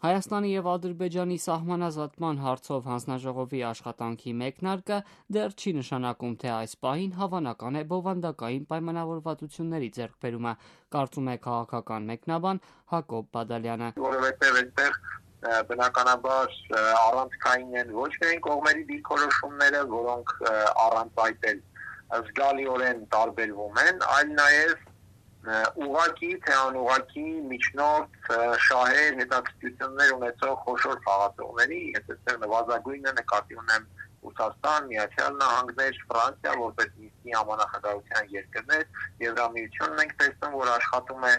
Հայաստանի և Ադրբեջանի սահմանազատման հարցով հանձնաժողովի աշխատանքի մեկնարկը դեռ չի նշանակում, թե այս պահին հավանական է բովանդակային պայմանավորվածությունների ձեռքբերումը, կարծում է քաղաքական մեկնաբան Հակոբ Բադալյանը։ Որովհետև այստեղ բնականաբար առանցքային են ոչ միայն կողմերի դիրքորոշումները, որոնք առանց այդ էլ զգալիորեն տարբերվում են, այլ նաև ուղղակի թե անուղղակի միջնորդ շահեր, հետաքրքրություններ ունեցող խոշոր խաղացողների, ես այստեղ նվազագույնը նկատի ունեմ Ռուսաստան, Միացյալ Նահանգներ, Ֆրանսիա, որպես Մինսկի համանախագահության երկրներ, Եվրամիությունն ենք տեսնում, որ աշխատում է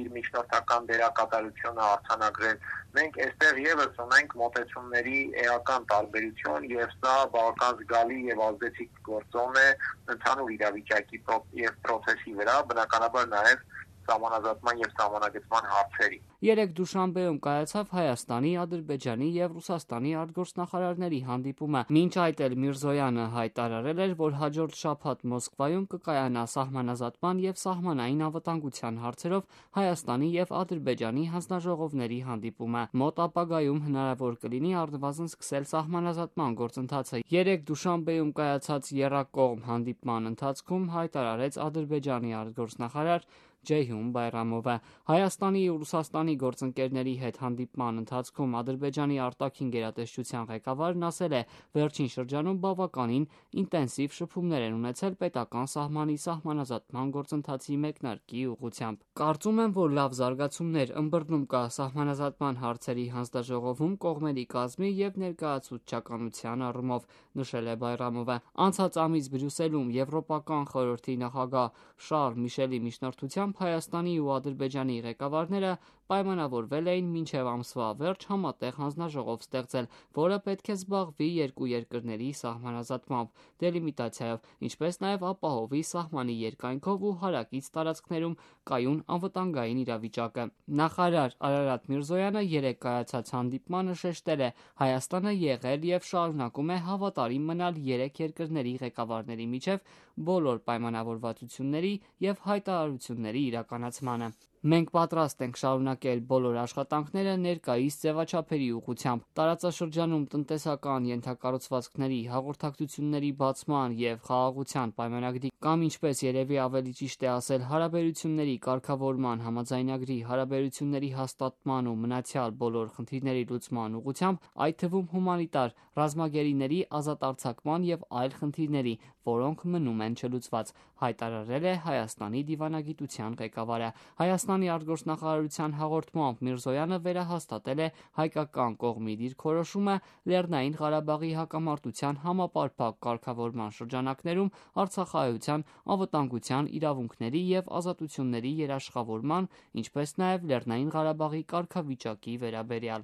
իր միջնորդական դերակատարությունը արձանագրել։ Մենք այստեղ եւս ունենք մոտեցումների էական տարբերություն եւ սա բավական զգալի եւ ազդեցիկ գործոն է ընդհանուր իրավիճակի եւ process-ի վրա, բնականաբար նաեւ սահմանազատման եւ սահմանագծման հարցերի։ Երեկ Դուշանբեում կայացավ Հայաստանի, Ադրբեջանի եւ Ռուսաստանի արտգործնախարարների հանդիպումը։ Մինչ այդ էլ Միրզոյանը հայտարարել էր, որ հաջորդ շաբաթ Մոսկվայում կկայանա սահմանազատման եւ սահմանային անվտանգության հարցերով Հայաստանի եւ Ադրբեջանի հանձնաժողովների հանդիպումը։ Մոտ ապագայում հնարավոր կլինի առնվազն սկսել սահմանազատման գործընթացը։ Երեկ Դուշանբեում կայացած եռակողմ հանդիպման ընթացքում հայտարարեց Ադրբեջանի արտգործնախարար Ջեյհուն Բայրամովը։ Հայաստանի ու Ռուսաստանի գործընկերների հետ հանդիպման ընթացքում Ադրբեջանի արտաքին գերատեսչության ղեկավարն ասել է, վերջին շրջանում բավականին ինտենսիվ շփումներ են ունեցել պետական սահմանի սահմանազատման գործընթացի մեկնարկի ուղղությամբ։ Կարծում եմ, որ լավ զարգացումներ ըմբռնում կա սահմանազատման հարցերի հանձնաժողովում կողմերի կազմի եւ ներկայացուցչականության առումով, նշել է Բայրամովը։ Անցած ամիս Բրյուսելում Եվրոպական խորհրդի նախագահ Շարլ Միշելի միջնորդությամբ Հայաստանի ու Ադրբեջանի ղեկավարները պայմանավորվել էին մինչև ամսվա վերջ համատեղ հանձնաժողով ստեղծել, որը պետք է զբաղվի երկու երկրների սահմանազատմամբ, դելիմիտացիայով, ինչպես նաև ապահովի սահմանի երկայնքով ու հարակից տարածքներում կայուն անվտանգային իրավիճակը։ Նախարար Արարատ Միրզոյանը երեկ կայացած հանդիպմանը շեշտել է. Հայաստանը եղել եւ շարունակում է հավատարիմ մնալ երեք երկրների ղեկավարների միջև բոլոր պայմանավորվածությունների եւ հայտարարությունների իրականացմանը։ Մենք պատրաստ ենք շարունակել բոլոր աշխատանքները ներկայիս ձևաչափերի ուղղությամբ։ Տարածաշրջանում տնտեսական ենթակառուցվածքների, հաղորդակցությունների բացման եւ խաղաղության պայմանագրի կամ ինչպես երևի ավելի ճիշտ է ասել, հարաբերությունների կարգավորման համաձայնագրի, հարաբերությունների հաստատման ու մնացյալ բոլոր խնդիրների լուծման ուղղությամբ, այդ թվում հումանիտար ռազմագերիների ազատ արձակման եւ այլ խնդիրների, որոնք մնում են չլուծված, հայտարարել է Հայաստանի դիվանագիտության ղեկավարը։ Հայաստանի արտգործնախարարության հաղորդմամբ Միրզոյանը վերահաստատել է հայկական կողմի դիրքորոշումը Լեռնային Ղարաբաղի հակամարտության համապարփակ կարգավորման շրջանակներում Արցախայցյան անվտանգության իրավունքների եւ ազատությունների երաշխավորման, ինչպես նաեւ Լեռնային Ղարաբաղի կարգավիճակի վերաբերյալ։